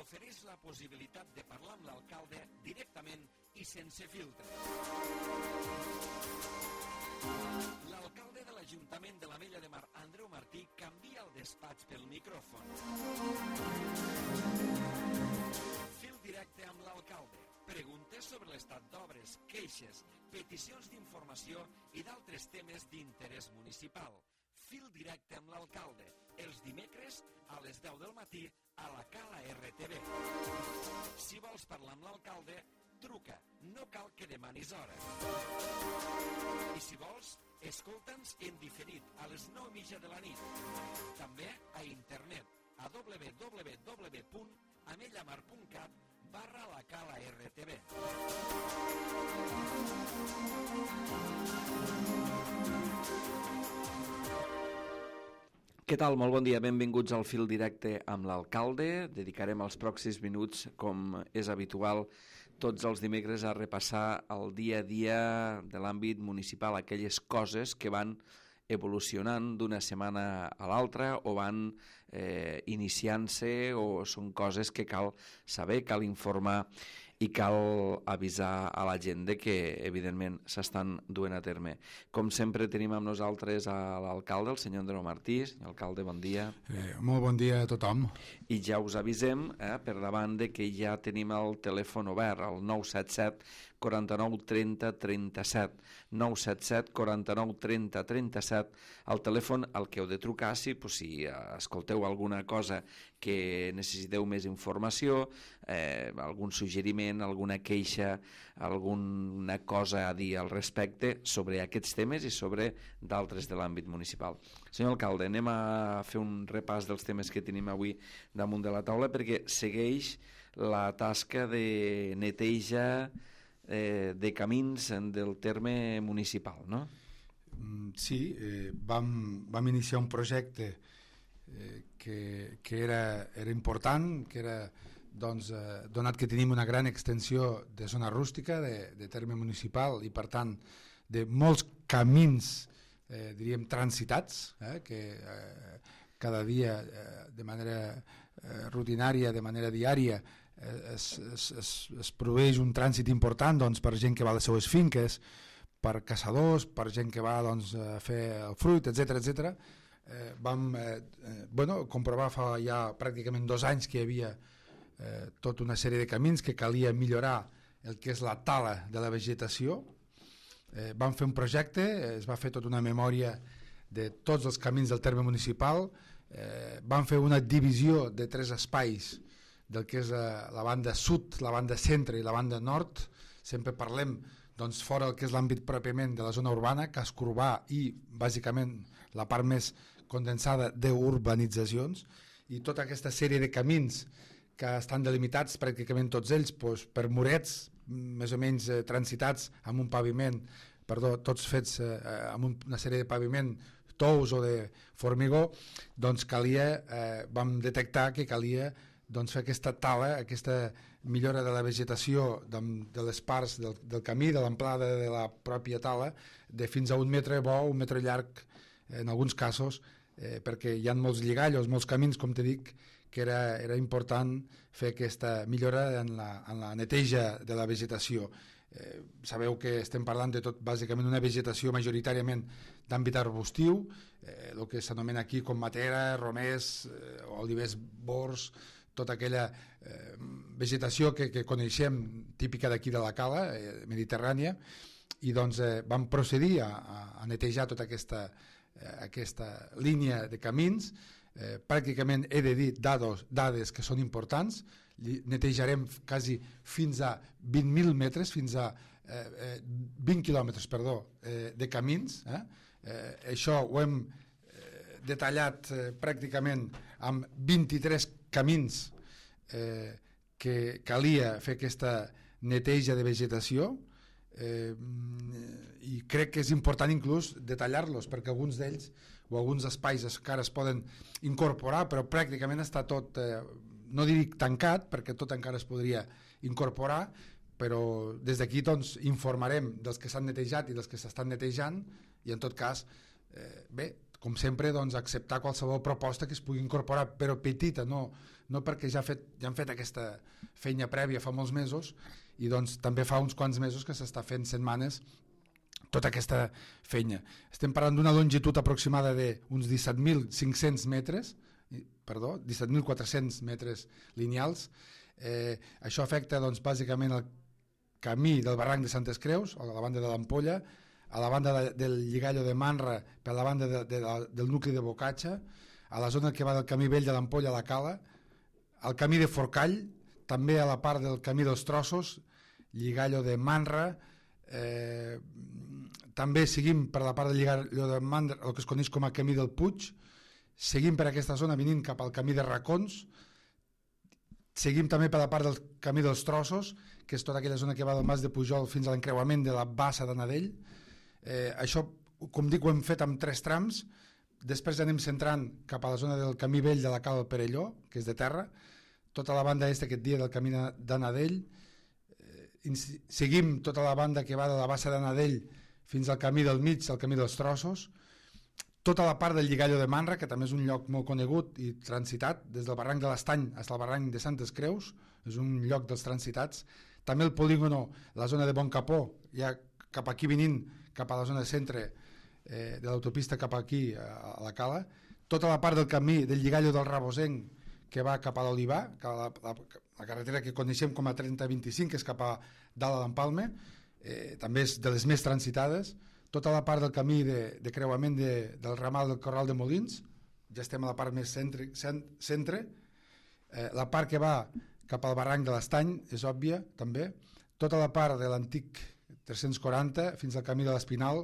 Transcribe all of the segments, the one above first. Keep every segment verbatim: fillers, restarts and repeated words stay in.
t'ofereix la possibilitat de parlar amb l'alcalde directament i sense filtre. L'alcalde de l'Ajuntament de l'Ametlla de Mar, Andreu Martí, canvia el despatx pel micròfon. Fil directe amb l'alcalde. Preguntes sobre l'estat d'obres, queixes, peticions d'informació i d'altres temes d'interès municipal. Fil directe amb l'alcalde, els dimecres a les deu del matí a la Cala R T V. Si vols parlar amb l'alcalde, truca, no cal que demanis hora. I si vols, escolta'ns en diferit a les nou i mitja de la nit. També a internet a w w w punt amellamar punt cat barra la Cala R T V. Què tal? Molt bon dia, benvinguts al Fil Directe amb l'alcalde. Dedicarem els pròxims minuts, com és habitual, tots els dimecres a repassar el dia a dia de l'àmbit municipal, aquelles coses que van evolucionant d'una setmana a l'altra o van eh, iniciant-se o són coses que cal saber, cal informar i cal avisar a la gent de que, evidentment, s'estan duent a terme. Com sempre, tenim amb nosaltres a l'alcalde, el senyor Andreu Martí. Senyor alcalde, bon dia. Eh, molt bon dia a tothom. I ja us avisem, eh, per davant, de que ja tenim el telèfon obert, el nou set set quaranta-nou trenta trenta-set. nou set set quaranta-nou trenta trenta-set. El telèfon al que heu de trucar si, pues, si eh, escolteu alguna cosa que necessiteu més informació, eh, algun suggeriment, alguna queixa, alguna cosa a dir al respecte sobre aquests temes i sobre d'altres de l'àmbit municipal. Senyor alcalde, anem a fer un repàs dels temes que tenim avui damunt de la taula perquè segueix la tasca de neteja eh, de camins del terme municipal, no? Sí, eh, vam, vam iniciar un projecte eh, que, que era, era important, que era, doncs, eh, donat que tenim una gran extensió de zona rústica, de, de terme municipal i, per tant, de molts camins, eh, diríem, transitats, eh, que eh, cada dia, eh, de manera eh, rutinària, de manera diària, eh, es, es, es, es produeix un trànsit important, doncs, per gent que va a les seues finques, per caçadors, per gent que va, doncs, a fer el fruit, etcètera, etcètera. Eh, vam eh, eh, bueno, comprovar fa ja pràcticament dos anys que hi havia eh, tota una sèrie de camins que calia millorar el que és la tala de la vegetació. Eh, vam fer un projecte, es va fer tota una memòria de tots els camins del terme municipal, eh, vam fer una divisió de tres espais del que és la, la banda sud, la banda centre i la banda nord. Sempre parlem, doncs, fora el que és l'àmbit pròpiament de la zona urbana, casc urbà i bàsicament la part més condensada d'urbanitzacions, i tota aquesta sèrie de camins que estan delimitats pràcticament tots ells doncs, per murets més o menys eh, transitats amb un paviment, perdó, tots fets eh, amb un, una sèrie de paviment tous o de formigó. Doncs calia, eh, vam detectar que calia, doncs, fer aquesta tala, aquesta millora de la vegetació de, de les parts del, del camí, de l'amplada de la pròpia tala, de fins a un metre bo, un metre llarg en alguns casos, eh, perquè hi ha molts lligallos, molts camins, com te dic, que era, era important fer aquesta millora en la, en la neteja de la vegetació. Eh, sabeu que estem parlant de tot, bàsicament una vegetació majoritàriament d'àmbit arbustiu, eh, el que s'anomena aquí com matera, romers, eh, olivers, bors, tota aquella eh, vegetació que, que coneixem típica d'aquí de la Cala, eh, mediterrània, i doncs eh, vam procedir a, a netejar tota aquesta, eh, aquesta línia de camins. Eh, pràcticament he de dir dades, dades que són importants. Netejarem quasi fins a vint mil metres, fins a eh, eh, vint quilòmetres, perdó, eh, de camins. Eh? Eh, això ho hem eh, detallat eh, pràcticament amb vint-i-tres camins eh, que calia fer aquesta neteja de vegetació, eh, i crec que és important inclús detallar-los, perquè alguns d'ells o alguns espais encara es poden incorporar, però pràcticament està tot, eh, no dic tancat, perquè tot encara es podria incorporar, però des d'aquí doncs informarem dels que s'han netejat i dels que s'estan netejant, i en tot cas, eh, bé, com sempre, doncs, acceptar qualsevol proposta que es pugui incorporar, però petita, no, no perquè ja, fet, ja han fet aquesta feina prèvia fa molts mesos, i doncs també fa uns quants mesos que s'està fent setmanes tota aquesta feina. Estem parlant d'una longitud aproximada d'uns disset mil cinc-cents metres, perdó, disset mil quatre-cents metres lineals. Eh, això afecta doncs, bàsicament el camí del barranc de Santes Creus, a la banda de l'Ampolla, a la banda de, del Lligallo de Manra, per la banda de, de, de, del nucli de Bocatxa, a la zona que va del camí vell de l'Ampolla a la Cala, al camí de Forcall, també a la part del camí dels Trossos, Lligallo de Manra, eh, també seguim per la part del Lligallo de Manra, el que es coneix com a camí del Puig, seguim per aquesta zona venint cap al camí de Racons, seguim també per la part del camí dels Trossos, que és tota aquella zona que va del Mas de Pujol fins a l'encreuament de la Bassa d'Anadell. Eh, això, com dic, ho hem fet amb tres trams, després anem centrant cap a la zona del camí vell de la Cala del Perelló, que és de terra, tota la banda est aquest dia del camí d'Anadell, eh, seguim tota la banda que va de la Bassa d'Anadell fins al camí del mig, al camí dels Trossos, tota la part del Lligallo de Manra, que també és un lloc molt conegut i transitat, des del barranc de l'Estany fins al barranc de Santes Creus, és un lloc dels transitats, també el polígono, la zona de Boncapó, ja cap aquí venint, cap a la zona de centre eh, de l'autopista cap aquí a, a la Cala, tota la part del camí del Lligallo del Rabosenc que va cap a l'Olivar, la, la, la carretera que coneixem com a trenta vint-i-cinc, que és cap a dalt a l'Empalme, eh, també és de les més transitades, tota la part del camí de, de creuament de, del ramal del Corral de Molins, ja estem a la part més centre, centre eh, la part que va cap al barranc de l'Estany és òbvia també, tota la part de l'antic tres-cents quaranta fins al camí de l'Espinal.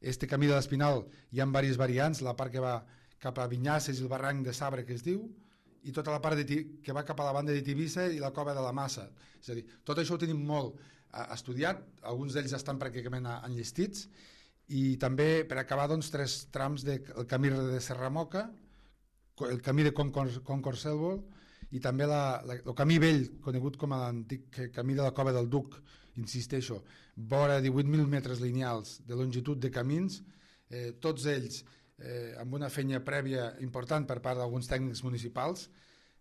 Este camí de l'Espinal hi ha diverses variants, la part que va cap a Vinyasses i el barranc de Sabre, que es diu, i tota la part de, que va cap a la banda de Tivissa i la Cova de la Massa. És a dir, tot això ho tenim molt eh, estudiat, alguns d'ells estan pràcticament enllestits, i també per acabar doncs, tres trams del de, camí de Serramoca, el camí de Concord-Selvold i també la, la, el camí vell, conegut com a l'antic camí de la Cova del Duc, insisteixo, vora divuit mil metres lineals de longitud de camins, eh, tots ells eh, amb una feina prèvia important per part d'alguns tècnics municipals,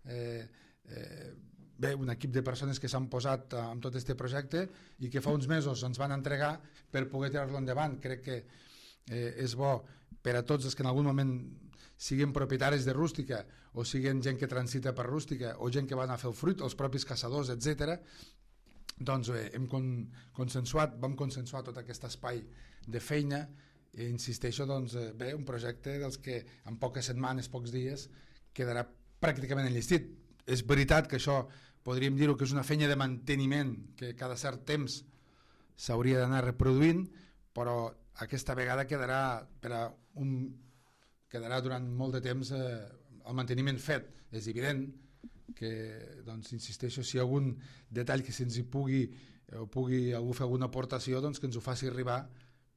eh, eh, bé, un equip de persones que s'han posat amb tot aquest projecte i que fa uns mesos ens van entregar per poder tirar-lo endavant. Crec que eh, és bo per a tots els que en algun moment siguin propietaris de rústica o siguin gent que transita per rústica o gent que van a fer el fruit, els propis caçadors, etcètera. Doncs bé, hem con consensuat, vam consensuar tot aquest espai de feina i insisteixo, doncs, bé, un projecte dels que en poques setmanes, pocs dies, quedarà pràcticament enllestit. És veritat que això podríem dir-ho que és una feina de manteniment que cada cert temps s'hauria d'anar reproduint, però aquesta vegada quedarà per a un quedarà durant molt de temps eh, el manteniment fet. És evident que, doncs, insisteixo, si hi ha algun detall que se'ns hi pugui o pugui algú fer alguna aportació, doncs que ens ho faci arribar,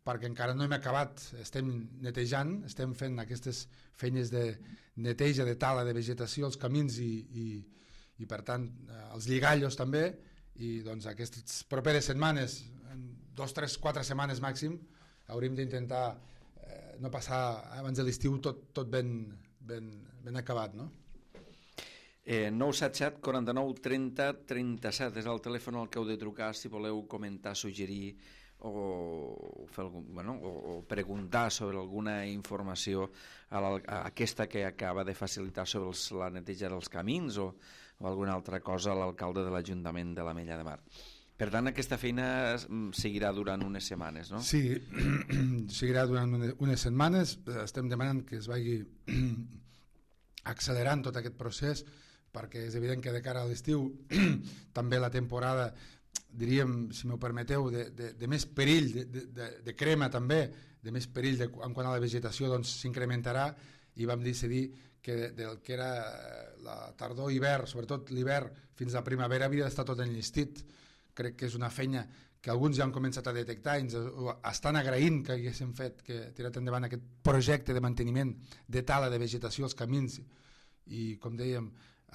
perquè encara no hem acabat, estem netejant, estem fent aquestes feines de neteja, de tala, de vegetació, els camins i, i, i per tant, els lligallos també, i doncs aquestes properes setmanes, en dos, tres, quatre setmanes màxim, hauríem d'intentar eh, no passar abans de l'estiu tot, tot ben, ben, ben acabat, no? Eh, nou set set, quaranta-nou, trenta, trenta-set és el telèfon al que heu de trucar si voleu comentar, suggerir o, fer algun, bueno, o, o preguntar sobre alguna informació a, la, a aquesta que acaba de facilitar sobre els, la neteja dels camins o, o alguna altra cosa a l'alcalde de l'Ajuntament de l'Ametlla de Mar. Per tant, aquesta feina seguirà durant unes setmanes, no? Sí, seguirà durant unes setmanes. Estem demanant que es vagi accelerant tot aquest procés, perquè és evident que de cara a l'estiu també la temporada, diríem, si m'ho permeteu, de, de, de més perill, de, de, de crema també, de més perill de, en quant a la vegetació, doncs s'incrementarà, i vam decidir que del que era la tardor i hivern, sobretot l'hivern fins a la primavera, havia d'estar tot enllestit. Crec que és una feina que alguns ja han començat a detectar i ens estan agraint que haguéssim fet, que tirat endavant aquest projecte de manteniment de tala de vegetació als camins i, com dèiem,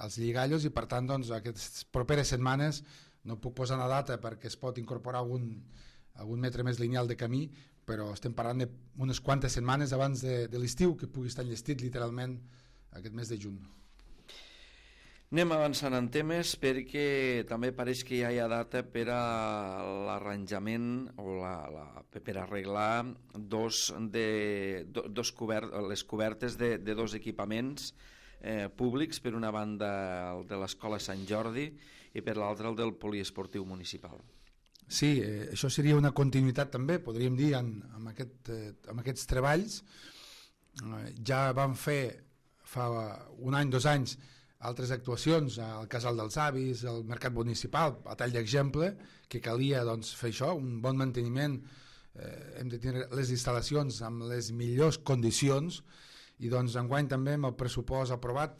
als lligallos, i per tant, doncs, aquestes properes setmanes no puc posar una data perquè es pot incorporar algun, algun metre més lineal de camí, però estem parlant d'unes quantes setmanes abans de, de l'estiu que pugui estar enllestit literalment aquest mes de juny. Anem avançant en temes perquè també pareix que ja hi ha data per a l'arranjament o la, la, per arreglar dos de, do, dos cobert, les cobertes de, de dos equipaments eh, públics, per una banda el de l'Escola Sant Jordi i per l'altra el del poliesportiu municipal. Sí, eh, això seria una continuïtat també, podríem dir, en, en, aquest, eh, en aquests treballs. Eh, ja vam fer fa un any, dos anys, altres actuacions al Casal dels Avis, al Mercat Municipal, a tall d'exemple, que calia doncs, fer això, un bon manteniment, eh, hem de tenir les instal·lacions amb les millors condicions, i doncs enguany també amb el pressupost aprovat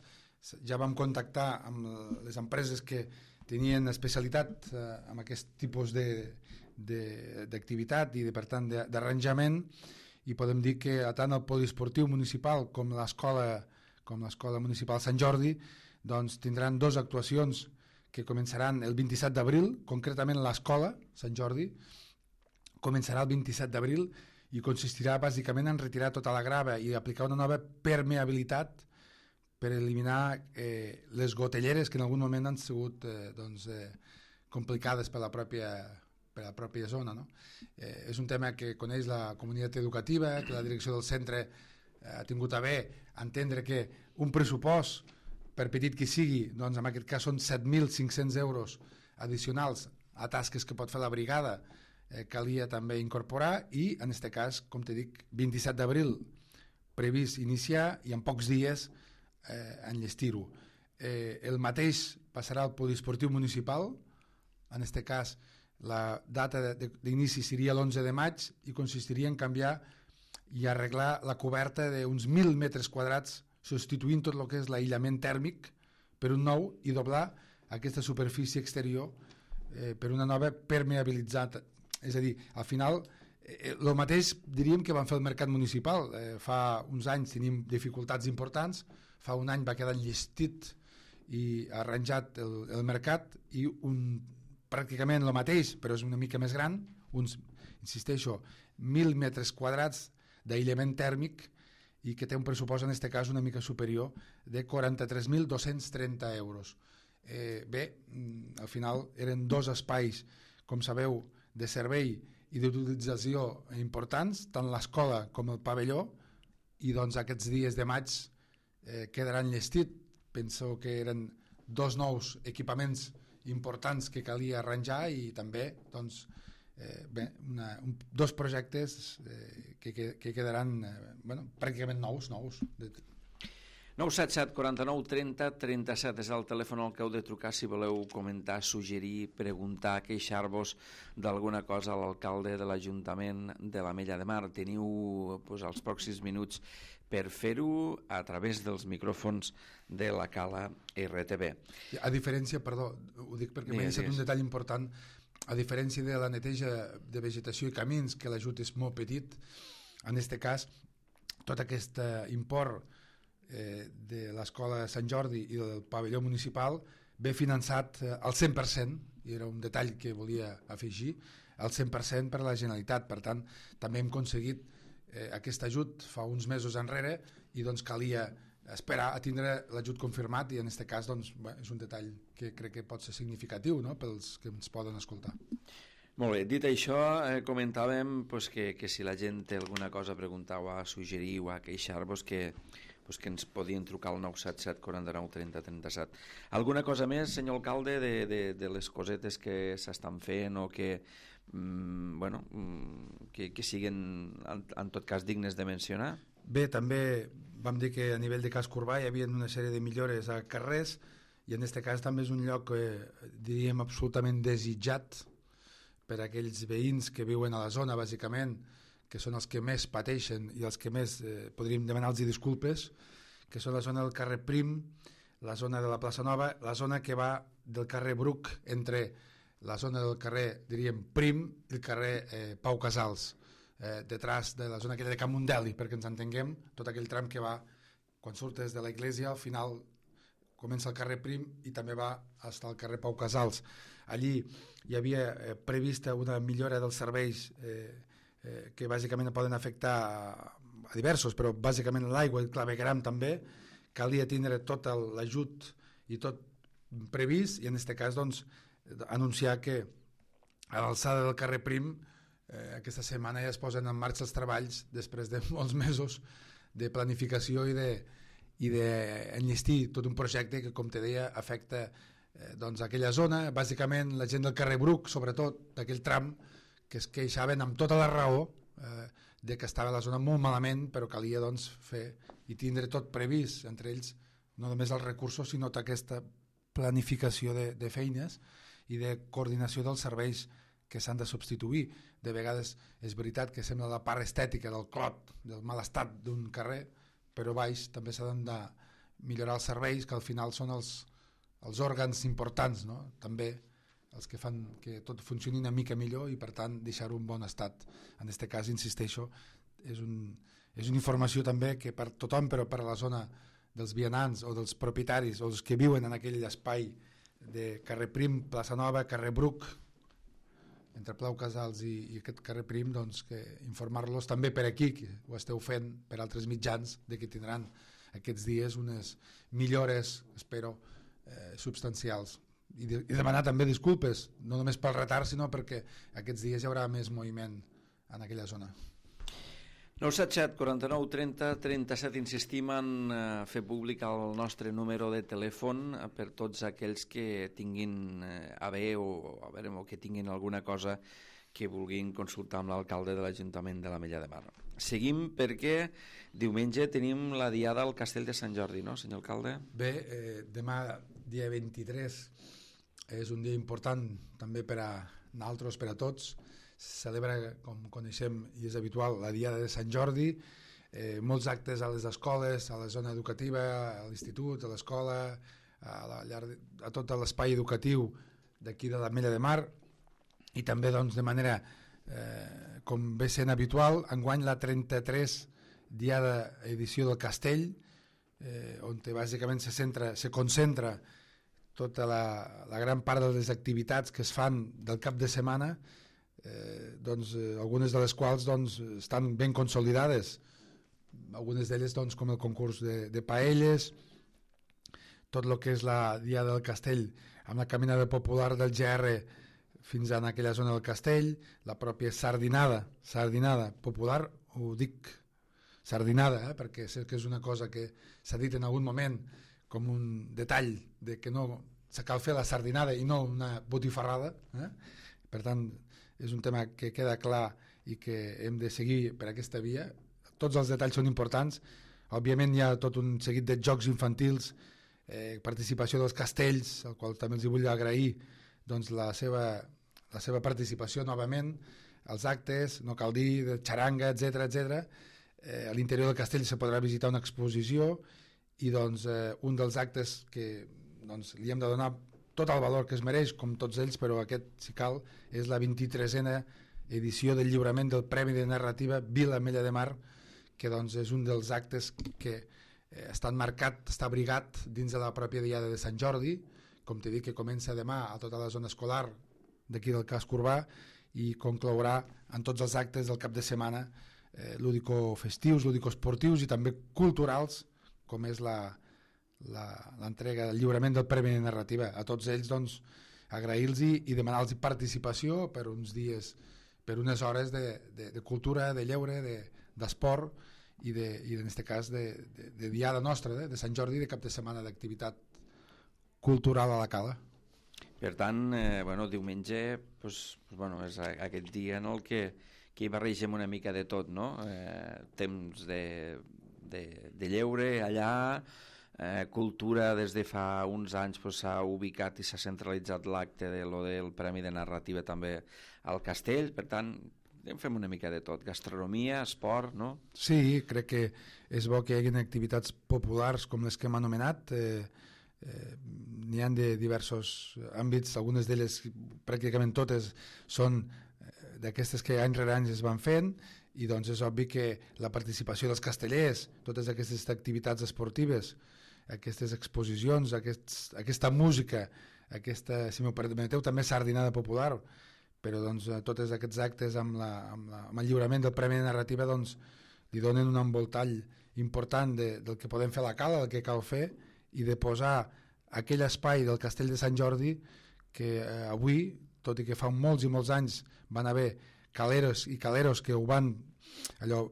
ja vam contactar amb les empreses que tenien especialitat eh, amb aquest tipus d'activitat i de, per tant d'arranjament, i podem dir que tant el poliesportiu municipal com l'escola com l'escola municipal Sant Jordi doncs tindran dues actuacions que començaran el vint-i-set d'abril, concretament l'escola Sant Jordi començarà el vint-i-set d'abril i consistirà bàsicament en retirar tota la grava i aplicar una nova permeabilitat per eliminar eh, les gotelleres que en algun moment han sigut eh, doncs, eh, complicades per la pròpia, per la pròpia zona. No? Eh, és un tema que coneix la comunitat educativa, que la direcció del centre eh, ha tingut a bé entendre que un pressupost, per petit que sigui, doncs en aquest cas són set mil cinc-cents euros addicionals a tasques que pot fer la brigada, eh, calia també incorporar, i en aquest cas, com te dic, vint-i-set d'abril previst iniciar i en pocs dies eh, enllestir-ho. Eh, el mateix passarà al poliesportiu municipal, en aquest cas la data d'inici seria l'onze de maig i consistiria en canviar i arreglar la coberta d'uns mil metres quadrats, substituint tot el que és l'aïllament tèrmic per un nou i doblar aquesta superfície exterior eh, per una nova permeabilitzada. És a dir, al final, eh, el mateix diríem que van fer el mercat municipal. Eh, fa uns anys tenim dificultats importants, fa un any va quedar enllestit i arranjat el, el mercat, i un, pràcticament el mateix, però és una mica més gran, uns, insisteixo, mil metres quadrats d'aïllament tèrmic, i que té un pressupost en aquest cas una mica superior de quaranta-tres mil dos-cents trenta euros. Eh, bé, al final eren dos espais, com sabeu, de servei i d'utilització importants, tant l'escola com el pavelló, i doncs aquests dies de maig eh, quedaran enllestit. Penso que eren dos nous equipaments importants que calia arranjar, i també doncs, Eh, bé, una, un, dos projectes eh, que, que, que quedaran eh, bueno, pràcticament nous, nous. nou set set quaranta-nou trenta trenta-set és el telèfon al que heu de trucar si voleu comentar, suggerir, preguntar, queixar-vos d'alguna cosa a l'alcalde de l'Ajuntament de l'Ametlla de Mar. Teniu pues, els pròxims minuts per fer-ho a través dels micròfons de la Cala R T B. A diferència, perdó, ho dic perquè m'he deixat un detall important. A diferència de la neteja de vegetació i camins, que l'ajut és molt petit, en aquest cas, tot aquest import eh, de l'escola Sant Jordi i del pavelló municipal ve finançat eh, al cent per cent, i era un detall que volia afegir, al cent per cent per la Generalitat. Per tant, també hem aconseguit eh, aquest ajut fa uns mesos enrere, i doncs calia esperar a tindre l'ajut confirmat, i en aquest cas doncs, bé, és un detall que crec que pot ser significatiu, no?, pels que ens poden escoltar. Molt bé, dit això, eh, comentàvem pues, que, que si la gent té alguna cosa a preguntar o a suggerir o a queixar-vos, que, pues, que ens podien trucar al nou set set quaranta-nou trenta trenta-set. Alguna cosa més, senyor alcalde, de, de, de les cosetes que s'estan fent o que, mm, bueno, que, que siguin en, en tot cas dignes de mencionar? Bé, també vam dir que a nivell de casc urbà hi havia una sèrie de millores a carrers, i en aquest cas també és un lloc eh, diríem absolutament desitjat per a aquells veïns que viuen a la zona, bàsicament, que són els que més pateixen i els que més eh, podríem demanar-los disculpes, que són la zona del carrer Prim, la zona de la plaça Nova, la zona que va del carrer Bruc entre la zona del carrer, diríem, Prim i el carrer eh, Pau Casals, eh, detrás de la zona aquella de Camundeli, perquè ens entenguem, tot aquell tram que va, quan surtes de la església, al final comença el carrer Prim i també va fins al carrer Pau Casals. Allí hi havia eh, prevista una millora dels serveis eh, eh, que bàsicament poden afectar a, a diversos, però bàsicament l'aigua i el clavegram també, calia tindre tot l'ajut i tot previst, i en aquest cas doncs, anunciar que a l'alçada del carrer Prim eh, aquesta setmana ja es posen en marxa els treballs després de molts mesos de planificació i de i d'enllestir tot un projecte que, com te deia, afecta eh, doncs aquella zona. Bàsicament la gent del carrer Bruc, sobretot d'aquell tram, que es queixaven amb tota la raó eh, de que estava la zona molt malament, però calia doncs, fer i tindre tot previst, entre ells no només els recursos, sinó tota aquesta planificació de, de feines i de coordinació dels serveis que s'han de substituir. De vegades és veritat que sembla la part estètica del clot, del mal estat d'un carrer, però baix també s'han de millorar els serveis, que al final són els, els òrgans importants, no? També els que fan que tot funcioni una mica millor i per tant deixar-ho en bon estat. En aquest cas, insisteixo, és, un, és una informació també que per tothom, però per a la zona dels vianants o dels propietaris o els que viuen en aquell espai de carrer Prim, plaça Nova, carrer Bruc, entre Plau Casals i, i aquest carrer Prim, doncs, que informar-los també per aquí, que ho esteu fent per altres mitjans, de que tindran aquests dies unes millores, espero, eh, substancials. I, de, I demanar també disculpes, no només pel retard, sinó perquè aquests dies hi haurà més moviment en aquella zona. nou set set, quaranta-nou, trenta, trenta-set, insistim en eh, fer públic el nostre número de telèfon eh, per tots aquells que tinguin eh, a bé o, a veure, o que tinguin alguna cosa que vulguin consultar amb l'alcalde de l'Ajuntament de l'Ametlla de Mar. Seguim perquè diumenge tenim la diada al Castell de Sant Jordi, no, senyor alcalde? Bé, eh, demà, dia vint-i-tres, és un dia important també per a nosaltres, per a tots. Celebra, com coneixem i és habitual, la Diada de Sant Jordi, eh, molts actes a les escoles, a la zona educativa, a l'institut, a l'escola, a, la llar, a tot l'espai educatiu d'aquí de l'Ametlla de Mar, i també doncs, de manera, eh, com ve sent habitual, enguany la trenta-tres Diada edició del Castell, eh, on bàsicament se, centra, se concentra tota la, la gran part de les activitats que es fan del cap de setmana, Eh, doncs, eh, algunes de les quals doncs, estan ben consolidades, algunes d'elles doncs, com el concurs de, de paelles, tot el que és la Diada del Castell amb la caminada popular del G R fins a aquella zona del Castell, la pròpia sardinada, sardinada popular, ho dic sardinada, eh, perquè sé que és una cosa que s'ha dit en algun moment com un detall de que no se cal fer la sardinada i no una botifarrada, eh? Per tant és un tema que queda clar i que hem de seguir per aquesta via. Tots els detalls són importants. Òbviament hi ha tot un seguit de jocs infantils, eh, participació dels castells, al qual també els vull agrair doncs, la, seva, la seva participació novament, els actes, no cal dir, de xaranga, etcètera etcètera. Eh, a l'interior del castell se podrà visitar una exposició i doncs, eh, un dels actes que doncs, li hem de donar tot el valor que es mereix, com tots ells, però aquest, si cal, és la vint-i-tresena edició del lliurament del Premi de Narrativa Vila Ametlla de Mar, que doncs, és un dels actes que eh, està marcat, està abrigat dins de la pròpia Diada de Sant Jordi, com t'he dit, que comença demà a tota la zona escolar d'aquí del casc urbà i conclourà en tots els actes del cap de setmana, eh, lúdico-festius, lúdico-esportius i també culturals, com és la l'entrega del lliurament del Premi de Narrativa. A tots ells doncs, agrair-los i demanar-los participació per uns dies, per unes hores de, de, de cultura, de lleure, d'esport de, i, de, i en aquest cas de, de, de diada nostra, de, de Sant Jordi, de cap de setmana d'activitat cultural a la cala. Per tant, eh, bueno, diumenge pues, pues, bueno, és aquest dia en el que, que hi barregem una mica de tot, no? Eh, temps de, de, de lleure allà, Eh, cultura. Des de fa uns anys pues, s'ha ubicat i s'ha centralitzat l'acte de lo del Premi de Narrativa també al Castell, per tant en fem una mica de tot, gastronomia, esport, no? Sí, crec que és bo que hi hagi activitats populars com les que hem anomenat, eh, eh, n'hi ha de diversos àmbits, algunes d'elles pràcticament totes són eh, d'aquestes que any rere any es van fent, i doncs és obvi que la participació dels castellers, totes aquestes activitats esportives, aquestes exposicions, aquests, aquesta música, aquesta, si m'ho permeteu, també sardinada popular, però doncs, tots aquests actes amb, la, amb, la, amb el lliurament del Premi de Narrativa doncs, li donen un envoltall important de, del que podem fer a la cala, del que cal fer, i de posar aquell espai del Castell de Sant Jordi que eh, avui, tot i que fa molts i molts anys van haver caleros i caleros que ho van allò,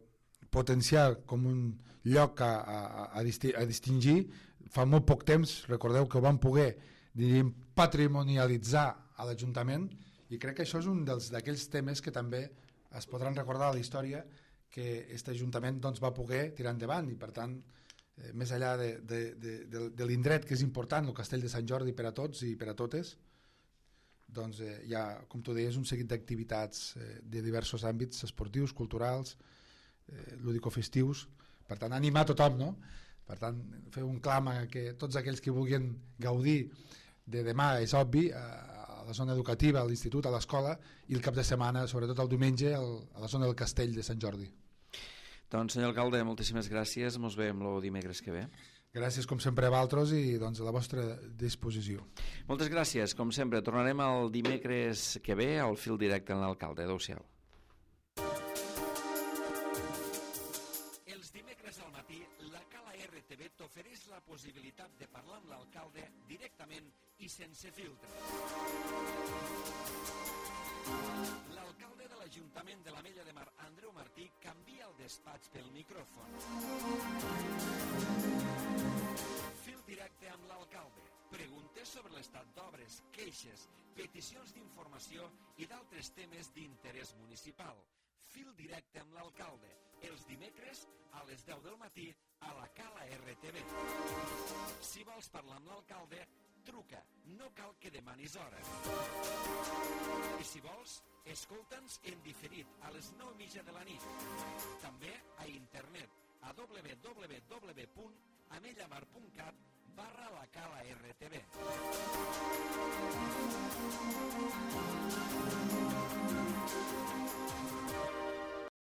potenciar com un lloc a, a, a, disti a distingir, fa molt poc temps, recordeu que ho van poder diríem, patrimonialitzar a l'Ajuntament, i crec que això és un d'aquells temes que també es podran recordar a la història que aquest Ajuntament doncs, va poder tirar endavant, i per tant eh, més enllà de, de, de, de, de l'indret que és important, el Castell de Sant Jordi per a tots i per a totes, doncs eh, hi ha, com tu deies, un seguit d'activitats eh, de diversos àmbits esportius, culturals, eh, lúdico-festius, per tant animar tothom, no? Per tant fer un clam a que tots aquells que vulguin gaudir de demà, és obvi, a la zona educativa, a l'institut, a l'escola, i el cap de setmana, sobretot el diumenge, a la zona del Castell de Sant Jordi. Doncs senyor alcalde, moltíssimes gràcies, mos veiem el dimecres que ve. Gràcies com sempre a vosaltres i doncs, a la vostra disposició. Moltes gràcies, com sempre. Tornarem el dimecres que ve al fil directe amb l'alcalde. Adéu-siau. Els dimecres al matí, la Cala R T V t'ofereix la possibilitat de parlar amb l'alcalde directament i sense filtre. L'alcalde de l'Ajuntament de l'Ametlla de Mar, Andreu Martí, canvia el despatx pel micròfon. Fil directe amb l'alcalde. Preguntes sobre l'estat d'obres, queixes, peticions d'informació i d'altres temes d'interès municipal. Fil directe amb l'alcalde. Els dimecres a les deu del matí a la Cala R T V. Si vols parlar amb l'alcalde, truca, no cal que demanis hora. I si vols, escolta'ns en diferit a les nou i mitja de la nit. També a internet a w w w